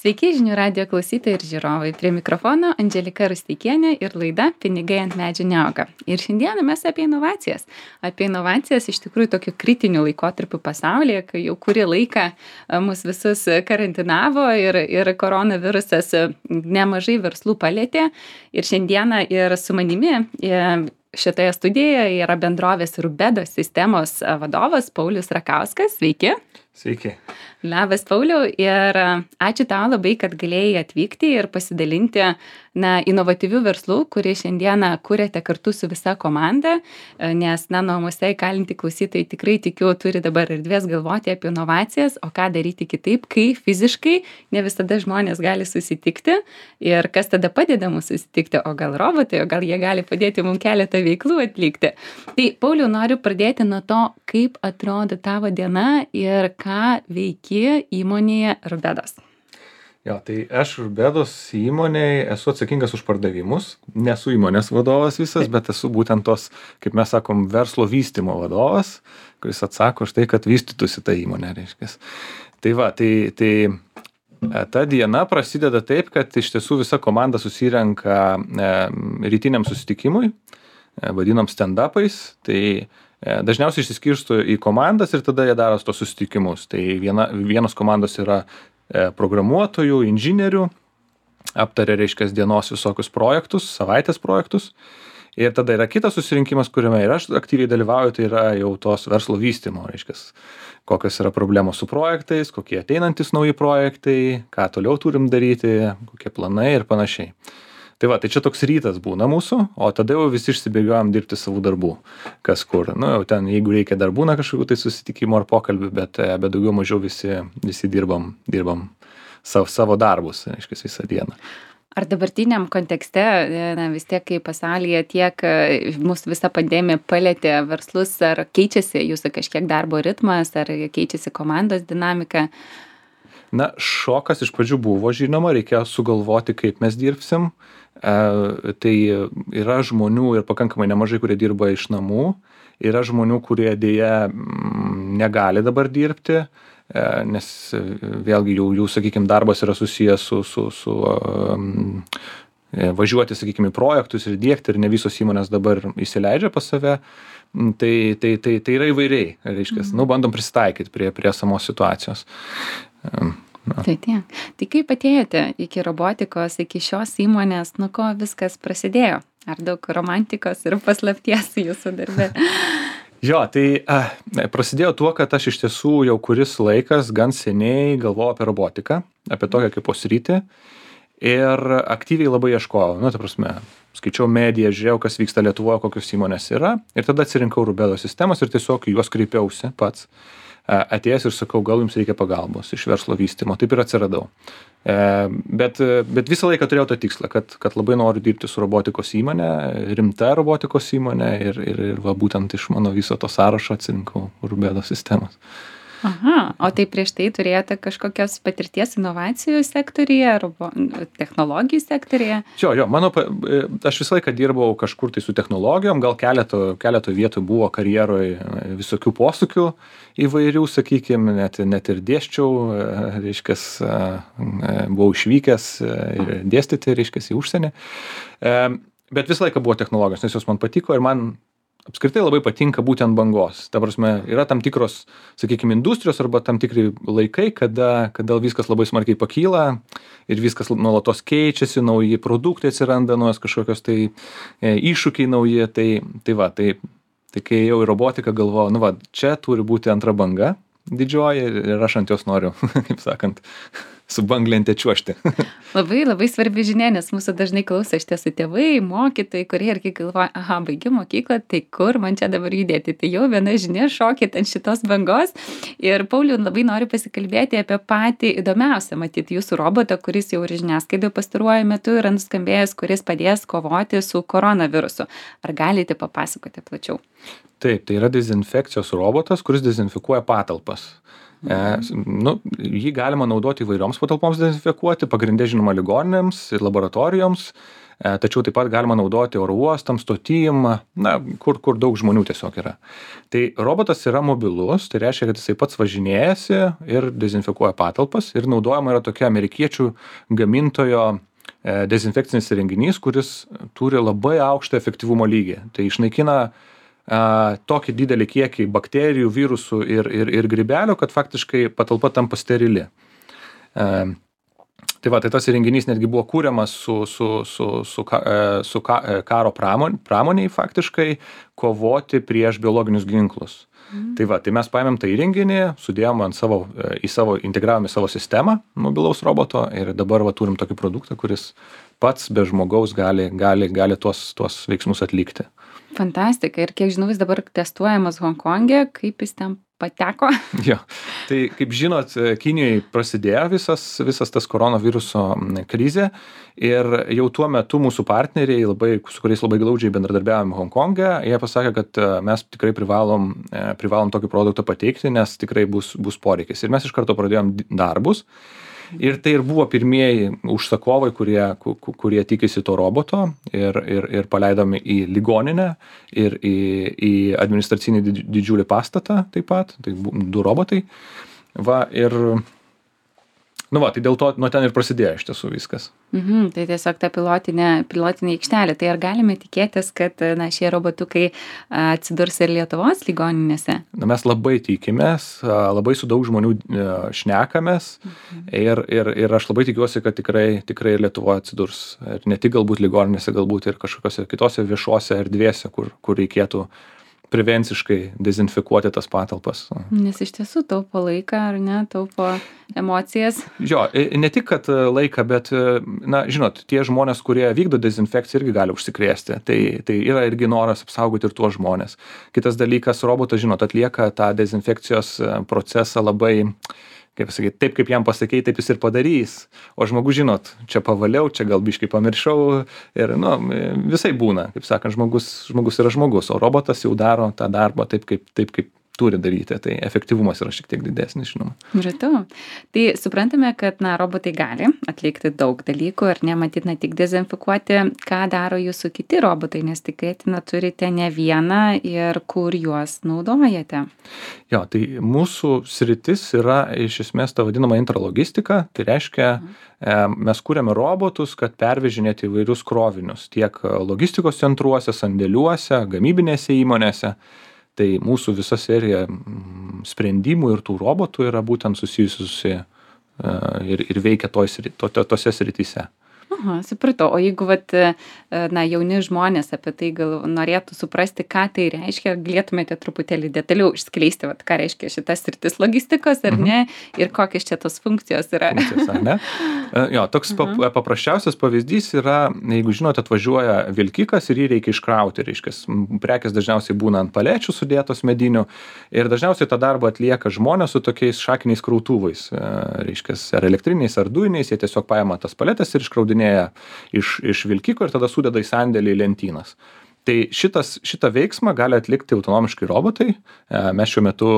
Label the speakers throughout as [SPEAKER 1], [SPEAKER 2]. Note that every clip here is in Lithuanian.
[SPEAKER 1] Sveiki žinių radijo klausytojai ir žiūrovai. Prie mikrofono Andželika Rusteikienė ir laida Pinigai ant medžių neauga. Ir šiandieną mes apie inovacijas. Apie inovacijas iš tikrųjų tokiu kritiniu laikotarpiu pasaulyje, kai jau kurį laiką mus visus karantinavo ir koronavirusas nemažai verslų palėtė. Ir šiandieną ir su manimi šitoje studijoje yra bendrovės Rubedo sistemos vadovas Paulius Rakauskas. Sveiki.
[SPEAKER 2] Sveiki.
[SPEAKER 1] Labas, Pauliau, ir ačiū tau labai, kad galėjai atvykti ir pasidalinti inovatyvių verslų, kurį šiandieną kuriate kartu su visa komanda, nes namuose įkalinti klausytojai tikrai tikiu turi dabar erdvės galvoti apie inovacijas, o ką daryti kitaip, kai fiziškai ne visada žmonės gali susitikti ir kas tada padeda mums susitikti, o gal robotai, o gal jie gali padėti mums keletą veiklų atlikti. Tai, Pauliau, noriu pradėti nuo to, kaip atrodo tavo diena ir ką veiki įmonėje Rubedos.
[SPEAKER 2] Jo, tai aš Rubedos įmonėje esu atsakingas už pardavimus. Nesu įmonės vadovas visas, bet esu būtent tos, kaip mes sakom, verslo vystymo vadovas, kuris atsako už tai, kad vystytųsi ta įmonė, reiškias. Tai va, ta diena prasideda taip, kad iš tiesų visa komanda susirenka rytiniam susitikimui, vadinam stand-upais, tai dažniausiai išsiskirsto į komandas ir tada jie daro tos susitikimus. Tai vienos komandos yra programuotojų, inžinierių, aptaria, reiškia, dienos visokius projektus, savaitės projektus. Ir tada yra kitas susirinkimas, kuriame ir aš aktyviai dalyvauju, tai yra jau tos verslo vystymo, reiškia, kokios yra problemos su projektais, kokie ateinantis nauji projektai, ką toliau turim daryti, kokie planai ir panašiai. Tai va, tai čia toks rytas būna mūsų, o tada jau visi išsibėgiojam dirbti savų darbų, kas kur. Nu, jau ten, jeigu reikia dar būna kažkokių tai susitikimų ar pokalbių, bet daugiau mažiau visi dirbam savo darbus, reiškia, visą dieną.
[SPEAKER 1] Ar dabartiniam kontekste, vis tiek, kai pasaulyje tiek mūsų visa pandemija palėtė verslus, ar keičiasi jūsų kažkiek darbo ritmas, ar keičiasi komandos dinamika?
[SPEAKER 2] Na, šokas iš pradžių buvo, žinoma, reikėjo sugalvoti, kaip mes dirbsim. Tai yra žmonių ir pakankamai nemažai, kurie dirba iš namų. Yra žmonių, kurie dėja negali dabar dirbti, nes vėlgi jų sakykime, darbas yra susijęs su važiuoti, sakykime, į projektus ir diegti, ir ne visos įmonės dabar įsileidžia pas save. Tai yra įvairiai, reiškia, bandom prisitaikyti prie esamos situacijos.
[SPEAKER 1] Tai kaip atėjote iki robotikos, iki šios įmonės, nuo ko viskas prasidėjo? Ar daug romantikos ir paslapties jūsų darbe?
[SPEAKER 2] Jo, tai prasidėjo tuo, kad aš iš tiesų jau kuris laikas gan seniai galvojau apie robotiką, apie tokią kaip sritį, ir aktyviai labai ieškojau. Nu, ta prasme, skaičiau mediją, žiūrėjau, kas vyksta Lietuvoje, kokios įmonės yra, ir tada atsirinkau Rubedo sistemas ir tiesiog juos kreipiausi pats. Atėjęs ir sakau, gal jums reikia pagalbos iš verslo vystymo. Taip ir atsiradau. Bet visą laiką turėjau tą tikslą, kad labai noriu dirbti su robotikos įmonė, rimta robotikos įmonė, ir va, būtent iš mano viso to sąrašo atsirinkau Rubedo sistemas.
[SPEAKER 1] Aha, o tai prieš tai turėjote kažkokios patirties inovacijų sektorija, technologijų sektorija?
[SPEAKER 2] Jo, aš visą laiką dirbau kažkur tai su technologijom, gal keleto vietų buvo karjeroje visokių posūkių įvairių, sakykime, net ir dėsčiau, reiškia, buvau išvykęs ir dėstyti, reiškia, į užsienį. Bet visą laiką buvo technologijos, nes jos man patiko ir man apskritai labai patinka būtent bangos. Ta prasme, yra tam tikros, sakykime, industrijos arba tam tikri laikai, kada viskas labai smarkiai pakyla ir viskas nuolatos keičiasi, nauji produktai atsiranda, naujos kažkokios tai iššūkiai nauji. Tai kai jau į robotiką galvoju, nu va, čia turi būti antra banga didžioji ir aš ant jos noriu, kaip sakant, su banglente čiuožti.
[SPEAKER 1] Labai, labai svarbi žinia, nes mūsų dažnai klauso iš tiesų tėvai, mokytojai, kurie irgi galvoja, aha, baigiu mokyklą, tai kur man čia dabar judėti? Tai jau viena žinia, šokit ant šitos bangos. Ir Pauliau, labai noriu pasikalbėti apie patį įdomiausią, matyti jūsų robotą, kuris jau ir žiniasklaidoje pastaruoju metu yra nuskambėjęs, kuris padės kovoti su koronavirusu. Ar galite papasakoti plačiau?
[SPEAKER 2] Taip, tai yra dezinfekcijos robotas, kuris dezinfikuoja patalpas. Jį galima naudoti įvairioms patalpoms dezinfekuoti, pagrindė žinoma ligoninėms ir laboratorijoms, tačiau taip pat galima naudoti oro uostam, stotim, kur daug žmonių tiesiog yra. Tai robotas yra mobilus, tai reiškia, kad jisai pats važinėjasi ir dezinfekuoja patalpas ir naudojama yra tokia amerikiečių gamintojo dezinfekcinis įrenginys, kuris turi labai aukštą efektyvumo lygį. Tai išnaikina tokį didelį kiekį bakterijų, virusų ir grybelių, kad faktiškai patalpa tampa sterili. Tai tas įrenginys netgi buvo kūriamas su karo pramoniai faktiškai kovoti prieš biologinius ginklus. Tai mes paėmėm tą įrenginį, sudėjom integravome savo sistemą mobilaus roboto ir dabar turim tokį produktą, kuris pats be žmogaus gali tuos veiksmus atlikti.
[SPEAKER 1] Fantastika. Ir kiek žinau, jis dabar testuojamas Honkonge, kaip jis ten pateko?
[SPEAKER 2] Jo, tai kaip žinot, Kinijoje prasidėjo visas tas koronaviruso krizė ir jau tuo metu mūsų partneriai, su kuriais labai glaudžiai bendradarbiavome Honkonge, jie pasakė, kad mes tikrai privalom tokį produktą pateikti, nes tikrai bus poreikis. Ir mes iš karto pradėjom darbus. Ir tai ir buvo pirmieji užsakovai, kurie tikisi to roboto ir paleidome į ligoninę ir į administracinį didžiulį pastatą taip pat, tai 2 robotai. Tai dėl to nuo ten ir prasidėjo iš tiesų viskas.
[SPEAKER 1] Tai tiesiog ta pilotinė aikštelė. Tai ar galime tikėtis, kad šie robotukai atsidurs ir Lietuvos ligoninėse?
[SPEAKER 2] Mes labai tikimės, labai su daug žmonių šnekamės ir aš labai tikiuosi, kad tikrai Lietuvoje atsidurs. Ir ne tik galbūt ligoninėse, galbūt ir kažkokiose kitose viešose erdvėse, kur reikėtų prevenciškai dezinfekuoti tas patalpas.
[SPEAKER 1] Nes iš tiesų taupo laiką, ar ne, taupo emocijas.
[SPEAKER 2] Jo, ne tik, kad laiką, bet, žinot, tie žmonės, kurie vykdo dezinfekciją, irgi gali užsikrėsti. Tai yra irgi noras apsaugoti ir tuos žmonės. Kitas dalykas, robotas, žinot, atlieka tą dezinfekcijos procesą labai, kaip pasakyti, taip kaip jam pasakei, taip jis ir padarys. O žmogus, žinot, čia pavaliau, čia gal biškai pamiršau ir, visai būna, kaip sakant, žmogus yra žmogus, o robotas jau daro tą darbą taip kaip turi daryti, tai efektyvumas yra šiek tiek didesnis, žinoma.
[SPEAKER 1] Žinau. Tai suprantame, kad robotai gali atlikti daug dalykų ir nematyt tik dezinfekuoti, ką daro jūsų kiti robotai, nes tikėtina turite ne vieną ir kur juos naudojate.
[SPEAKER 2] Jo, tai mūsų sritis yra iš esmės ta vadinama intralogistika, tai reiškia, mes kūrėme robotus, kad pervežinėti įvairius krovinius tiek logistikos centruose, sandėliuose, gamybinėse įmonėse. Tai mūsų visa serija sprendimų ir tų robotų yra būtent susijusi ir veikia tose srityse.
[SPEAKER 1] Aha, supratau. O jeigu jauni žmonės apie tai norėtų suprasti, ką tai reiškia, galėtumėte truputėlį detaliau išskleisti, ką reiškia šitas sritis logistikos, ar ne, ir kokios čia tos funkcijos yra.
[SPEAKER 2] Ar ne? Jo, toks paprasčiausias pavyzdys yra, jeigu žinote, atvažiuoja vilkikas ir jį reikia iškrauti, prekės dažniausiai būna ant palečių sudėtos medinių ir dažniausiai tą darbą atlieka žmonės su tokiais šakiniais krautuvais, ar elektriniais, ar dujiniais, jie tiesiog paima tas paletes ir iškraudinėja iš vilkiko ir tada sudeda į sandėlį į lentynas. Tai šitą veiksmą gali atlikti autonomiškai robotai. Mes šiuo metu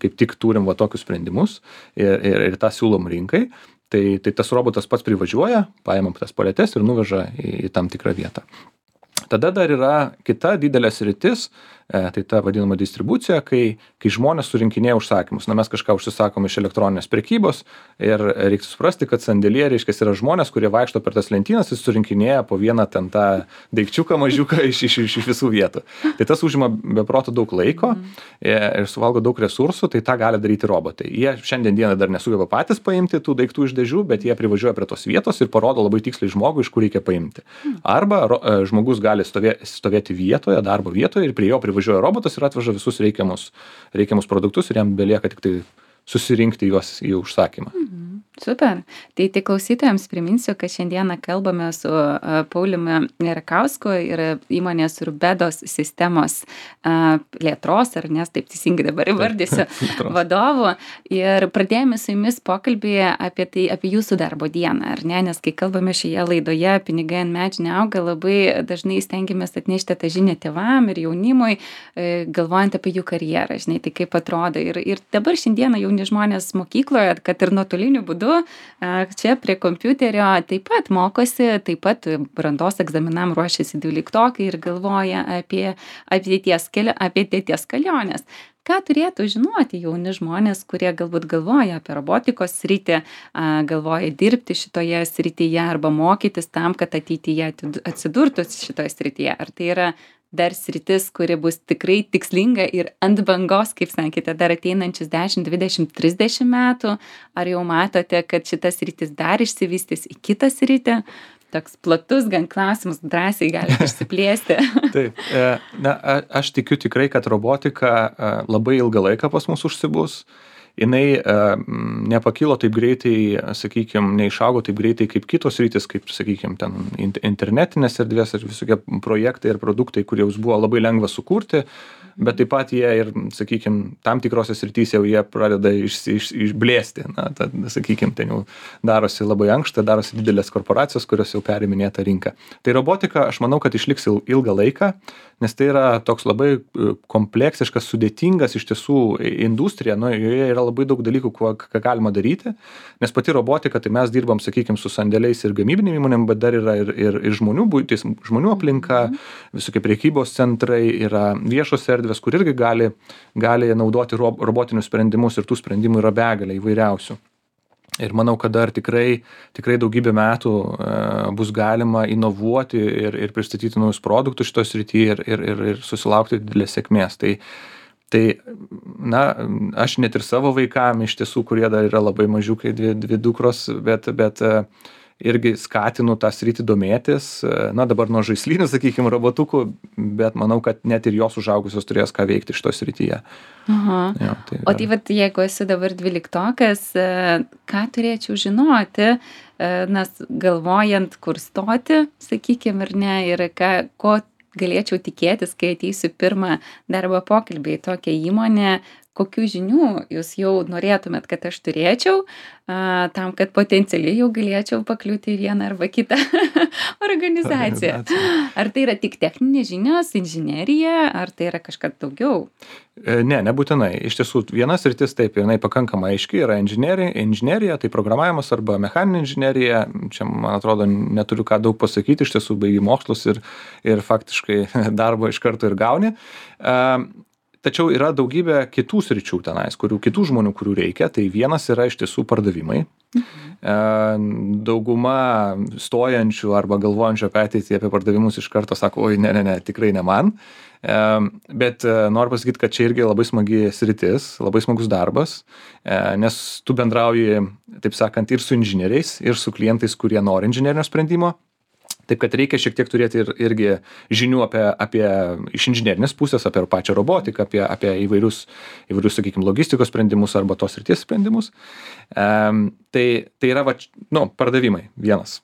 [SPEAKER 2] kaip tik turim tokius sprendimus ir tą siūlom rinkai. Tai tas robotas pats privažiuoja, paimam tas paletes ir nuveža į tam tikrą vietą. Tada dar yra kita didelė sritis, tai ta vadinama distribucija, kai žmonės surinkinėja užsakymus. Mes kažką užsisakom iš elektroninės prekybos ir reikia suprasti, kad sandėlyje, yra žmonės, kurie vaikšto per tas lentynas ir surinkinėja po vieną ten tą daikčiuką mažiuką iš visų vietų. Tai tas užima be proto daug laiko ir suvalgo daug resursų, tai tą gali daryti robotai. Jie šiandien dieną dar nesugeba patys paimti tų daiktų iš dėžių, bet jie privažiuoja prie tos vietos ir parodo labai tiksliai žmogui, iš kur reikia paimti. Arba žmogus gali stovėti vietoje, darbo vietoje ir prie jo privažiuoja robotas ir atveža visus reikiamus produktus ir jam belieka tik tai susirinkti juos į užsakymą.
[SPEAKER 1] Super. Tai tik klausytojams priminsiu, kad šiandieną kalbame su Pauliumi Rakausku ir įmonės Urbedos sistemos plėtros, ar nes taip teisingai dabar įvardysiu, vadovu. Ir pradėjome su jumis pokalbį apie jūsų darbo dieną, ar ne? Nes kai kalbame šioje laidoje, pinigai ant medžių neauga, labai dažnai stengiamės atnešti tą žinią tėvam ir jaunimui, galvojant apie jų karjerą, žinai, tai kaip atrodo. Ir dabar šiandieną jauni žmonės mokykloje, kad ir nuotoliniu būdu būdu čia prie kompiuterio taip pat mokosi, taip pat brandos egzaminam ruošiasi 12-okai ir galvoja apie ateities keliones. Ką turėtų žinoti jauni žmonės, kurie galbūt galvoja apie robotikos sritį, galvoja dirbti šitoje srityje arba mokytis tam, kad ateityje atsidurtų šitoje srityje? Ar tai yra dar sritis, kuri bus tikrai tikslinga ir ant bangos, kaip sakėte, dar ateinančius 10, 20, 30 metų? Ar jau matote, kad šitas sritis dar išsivystys į kitą sritį? Toks platus gan klausimas, drąsiai galite išsiplėsti.
[SPEAKER 2] Taip, aš tikiu tikrai, kad robotika labai ilgą laiką pas mus užsibus. Jinai nepakilo taip greitai, sakykime, neišaugo taip greitai kaip kitos rytis, kaip, sakykime, ten internetinės erdvės ir visokie projektai ir produktai, kurie buvo labai lengva sukurti, bet taip pat jie ir, sakykime, tam tikrose srityse jau jie pradeda išblėsti. Na, tad, sakykime, ten jau darosi labai ankšta, darosi didelės korporacijos, kurios jau periminėja tą rinką. Tai robotika, aš manau, kad išliks ilgą laiką, nes tai yra toks labai kompleksiškas, sudėtingas iš tiesų industrija, nu, joje yra labai daug dalykų, ką galima daryti, nes pati robotika, tai mes dirbam, sakykime, su sandėliais ir gamybinėm įmonėm, bet dar yra ir žmonių buitis, žmonių aplinka, visokie prekybos centrai, yra viešos erdvės, kur irgi gali naudoti robotinius sprendimus ir tų sprendimų yra begalė įvairiausių. Ir manau, kad dar tikrai daugybę metų bus galima inovuoti ir pristatyti naujus produktus šitos srityje ir susilaukti didelės sėkmės. Tai, na, aš net ir savo vaikam iš tiesų, kurie dar yra labai mažiukai, dvi dukros, bet irgi skatinu tą sritį domėtis. Na, dabar nuo žaislinių, sakykime, robotukų, bet manau, kad net ir jos užaugusios turės ką veikti šitoje srityje.
[SPEAKER 1] Aha. Jo, o tai vat, jeigu esu dabar 12-okas, ką turėčiau žinoti, nes galvojant, kur stoti, sakykime, ar ne, ir ko galėčiau tikėtis, kai ateisiu pirmą darbo pokalbį į tokią įmonę, kokių žinių jūs jau norėtumėt, kad aš turėčiau, tam, kad potencialiai jau galėčiau pakliūti į vieną arba kitą organizaciją. Ar tai yra tik techninės žinios, inžinerija, ar tai yra kažkas daugiau?
[SPEAKER 2] Ne, nebūtinai. Iš tiesų, vienas sritis taip, jinai pakankamai aiški, yra inžinerija, tai programavimas arba mechaninė inžinerija. Čia, man atrodo, neturiu ką daug pasakyti, iš tiesų baigi mokslus ir faktiškai darbo iš karto ir gauni. Tačiau yra daugybė kitų sričių tenais, kitų žmonių, kurių reikia. Tai vienas yra iš tiesų pardavimai. Dauguma stojančių arba galvojančių apie ateitį, apie pardavimus iš karto sako, oi, ne, tikrai ne man. Bet noriu pasakyti, kad čia irgi labai smagi sritis, labai smagus darbas, nes tu bendrauji, taip sakant, ir su inžinieriais, ir su klientais, kurie nori inžinerinio sprendimo. Taip, kad reikia šiek tiek turėti irgi žinių apie iš inžinerinės pusės, apie pačią robotiką, apie įvairius, sakykime, logistikos sprendimus arba tos srities sprendimus. Tai yra, pardavimai vienas.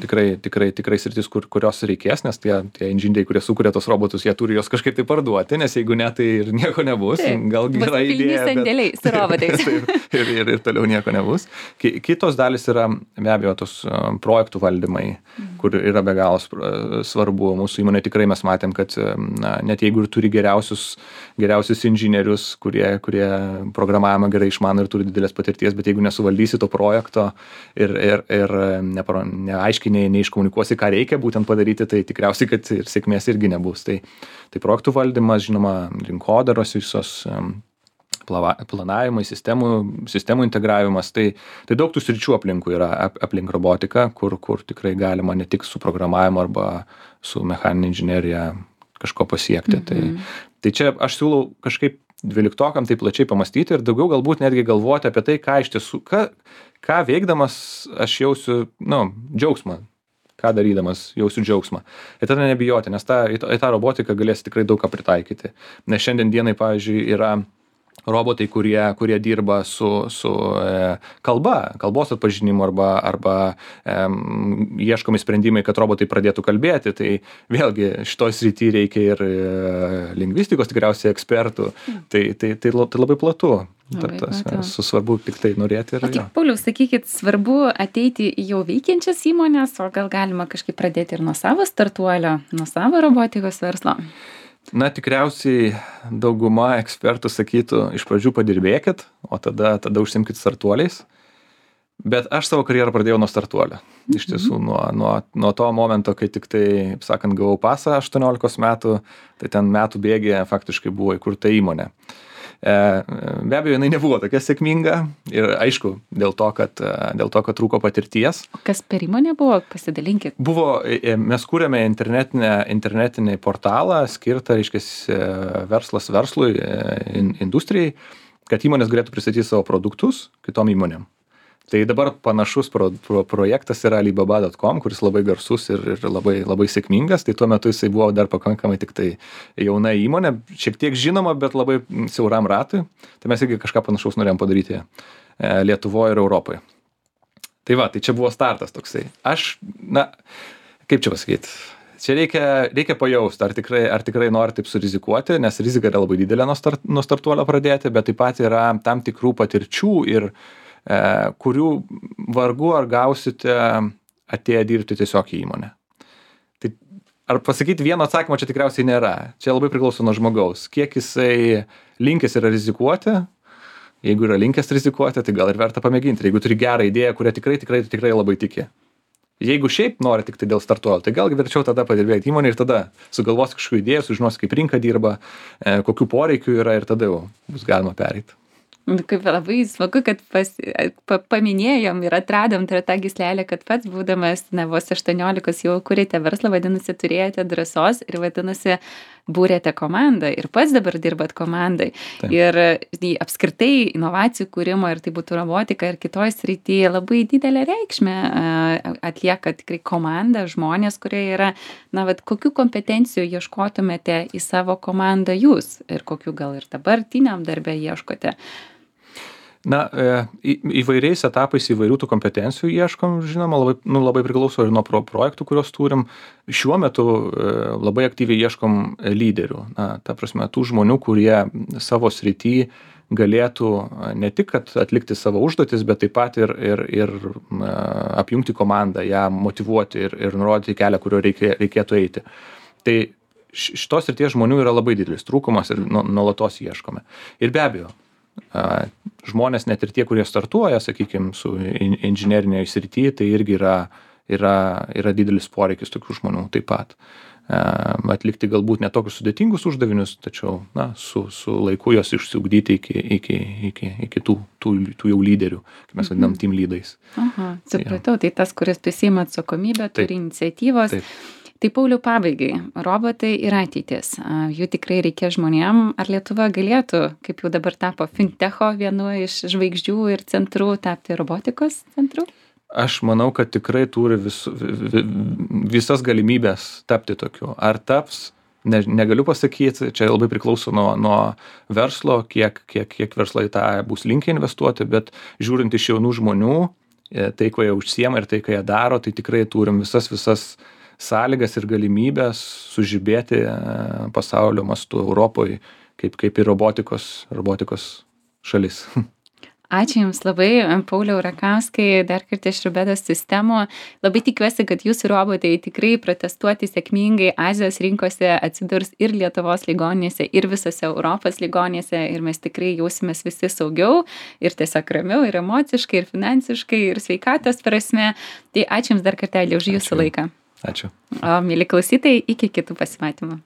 [SPEAKER 2] Tikrai sritis, kurios reikės, nes tie inžinieriai, kurie sukuria tos robotus, jie turi juos kažkaip tai parduoti, nes jeigu ne, tai ir nieko nebus. Gal gera idėja,
[SPEAKER 1] sandėliai su robotais.
[SPEAKER 2] ir toliau nieko nebus. Kitos dalis yra, be abejo, tos projektų valdymai, kur yra be galo svarbu. Mūsų įmonė tikrai mes matėm, kad net jeigu ir turi geriausius inžinierius, kurie programavimą gerai išmano ir turi didelės patirties, bet jeigu nesuvaldysi to projekto ir neaiškiai neiškomunikuosi, ką reikia būtent padaryti, tai tikriausiai, kad ir sėkmės irgi nebus. Tai projektų valdymas, žinoma, rinkodaros visos planavimai, sistemų integravimas, tai daug tų sričių aplinkui yra aplink robotiką, kur tikrai galima ne tik su programavimu arba su mechaninė inžinerija kažko pasiekti. Tai čia aš siūlau kažkaip 12-okam tai plačiai pamastyti ir daugiau galbūt netgi galvoti apie tai, ką iš tiesų, ką veikdamas aš jausiu, džiaugsmą, ką darydamas jausiu džiaugsmą. Ir tada nebijoti, nes į tą robotiką galės tikrai daug ką pritaikyti. Nes šiandien dienai, pavyzdžiui, yra robotai, kurie dirba su kalbos atpažinimu arba ieškomi sprendimai, kad robotai pradėtų kalbėti. Tai vėlgi šitoj srity reikia ir lingvistikos tikriausiai ekspertų. Tai labai platu. Svarbu tik tai norėti.
[SPEAKER 1] O tik, Pauliau, sakykit, svarbu ateiti į jau veikiančias įmonės, o gal galima kažkaip pradėti ir nuo savo startuolio, nuo savo robotikos verslo?
[SPEAKER 2] Na, tikriausiai dauguma ekspertų sakytų, iš pradžių padirbėkit, o tada užsimkit startuoliais. Bet aš savo karjerą pradėjau nuo startuolio. Iš tiesų, nuo to momento, kai tik tai, kaip sakant, gavau pasą 18 metų, tai ten metų bėgėje faktiškai buvo įkurta įmonė. Be abejo, jinai nebuvo tokia sėkminga ir aišku, dėl to, kad trūko patirties.
[SPEAKER 1] Kas per įmonė buvo? Pasidalinkit.
[SPEAKER 2] Mes kūrėme internetinį portalą skirtą, reiškia, verslas verslui, industrijai, kad įmonės galėtų pristatyti savo produktus kitom įmonėm. Tai dabar panašus projektas yra Alibaba.com, kuris labai garsus ir labai sėkmingas. Tai tuo metu jisai buvo dar pakankamai tik tai jauna įmonė, šiek tiek žinoma, bet labai siauram ratui. Tai mes irgi kažką panašaus norėjom padaryti Lietuvoje ir Europoje. Tai va, tai čia buvo startas toksai. Kaip čia pasakyti? Čia reikia pajausti, ar tikrai nori taip surizikuoti, nes rizika yra labai didelė nuo startuolio pradėti, bet taip pat yra tam tikrų patirčių ir kurių vargu ar gausite atėję dirbti tiesiog į įmonę. Tai ar pasakyti vieno atsakymo čia tikriausiai nėra. Čia labai priklauso nuo žmogaus. Kiek jisai linkęs yra rizikuoti, jeigu yra linkęs rizikuoti, tai gal ir verta pamėginti. Jeigu turi gerą idėją, kurią tikrai labai tiki. Jeigu šiaip nori tik tai dėl startuolio, tai gal verčiau tada padirbėti įmonę ir tada sugalvos kažkokių idėjų, sužinos, kaip rinka dirba, kokių poreikių yra ir tada jau bus galima pereiti.
[SPEAKER 1] Kaip labai smagu, kad paminėjom ir atradom tą gyslelę, kad pats būdamas vos 18 jau kūrėte verslą, vadinasi, turėjote drąsos ir vadinasi, būrėte komandą ir pats dabar dirbat komandai. Taip. Ir apskritai inovacijų kūrimo, ir tai būtų robotika ir kitoj srityje, labai didelę reikšmę atlieka tikrai komanda, žmonės, kurie yra, kokių kompetencijų ieškotumėte į savo komandą jūs ir kokių gal ir dabartiniam darbe ieškote.
[SPEAKER 2] Įvairiais etapais įvairių tų kompetencijų ieškom, žinoma, labai priklauso ir nuo projektų, kuriuos turim. Šiuo metu labai aktyviai ieškom lyderių. Ta prasme, tų žmonių, kurie savo srity galėtų ne tik atlikti savo užduotis, bet taip pat ir apjungti komandą, ją motyvuoti ir nurodyti kelią, kurio reikėtų eiti. Tai šitos srities žmonių yra labai didelis trūkumas ir nuolatos ieškome. Ir be abejo, žmonės, net ir tie, kurie startuoja, sakykime, su inžinerinėje srityje, tai irgi yra didelis poreikis tokių žmonių taip pat. Atlikti galbūt ne tokius sudėtingus uždavinius, tačiau su laiku jos išsiugdyti iki tų jau lyderių, kaip mes vadinam team lydais.
[SPEAKER 1] Aha, supratau, tai tas, kuris prisiima atsakomybę, turi iniciatyvos. Taip. Tai Pauliau, pabaigai, robotai ir ateitis. Jų tikrai reikia žmonėm. Ar Lietuva galėtų, kaip jau dabar tapo fintecho vienu iš žvaigždžių ir centrų, tapti robotikos centru?
[SPEAKER 2] Aš manau, kad tikrai turi visas galimybės tapti tokiu. Ar taps, negaliu pasakyti, čia labai priklauso nuo verslo, kiek verslai tą bus linkę investuoti, bet žiūrint iš jaunų žmonių, tai, ko jie užsiema ir tai, ką jie daro, tai tikrai turim visas sąlygas ir galimybės sužibėti pasaulio mastu Europoje, kaip ir robotikos šalis.
[SPEAKER 1] Ačiū Jums labai, Pauliau Rakauskai, dar kartą iš Rubedos sistemų. Labai tikiuosi, kad Jūsų robotai tikrai protestuoti sėkmingai Azijos rinkose atsidurs ir Lietuvos ligoninėse, ir visose Europos ligoninėse, ir mes tikrai jausimės visi saugiau, ir tiesiog ramiau, ir emociškai, ir finansiškai, ir sveikatos prasme. Tai ačiū Jums dar kartelį už Jūsų laiką.
[SPEAKER 2] Ačiū.
[SPEAKER 1] O, mėly klausytojai, iki kitų pasimatymų.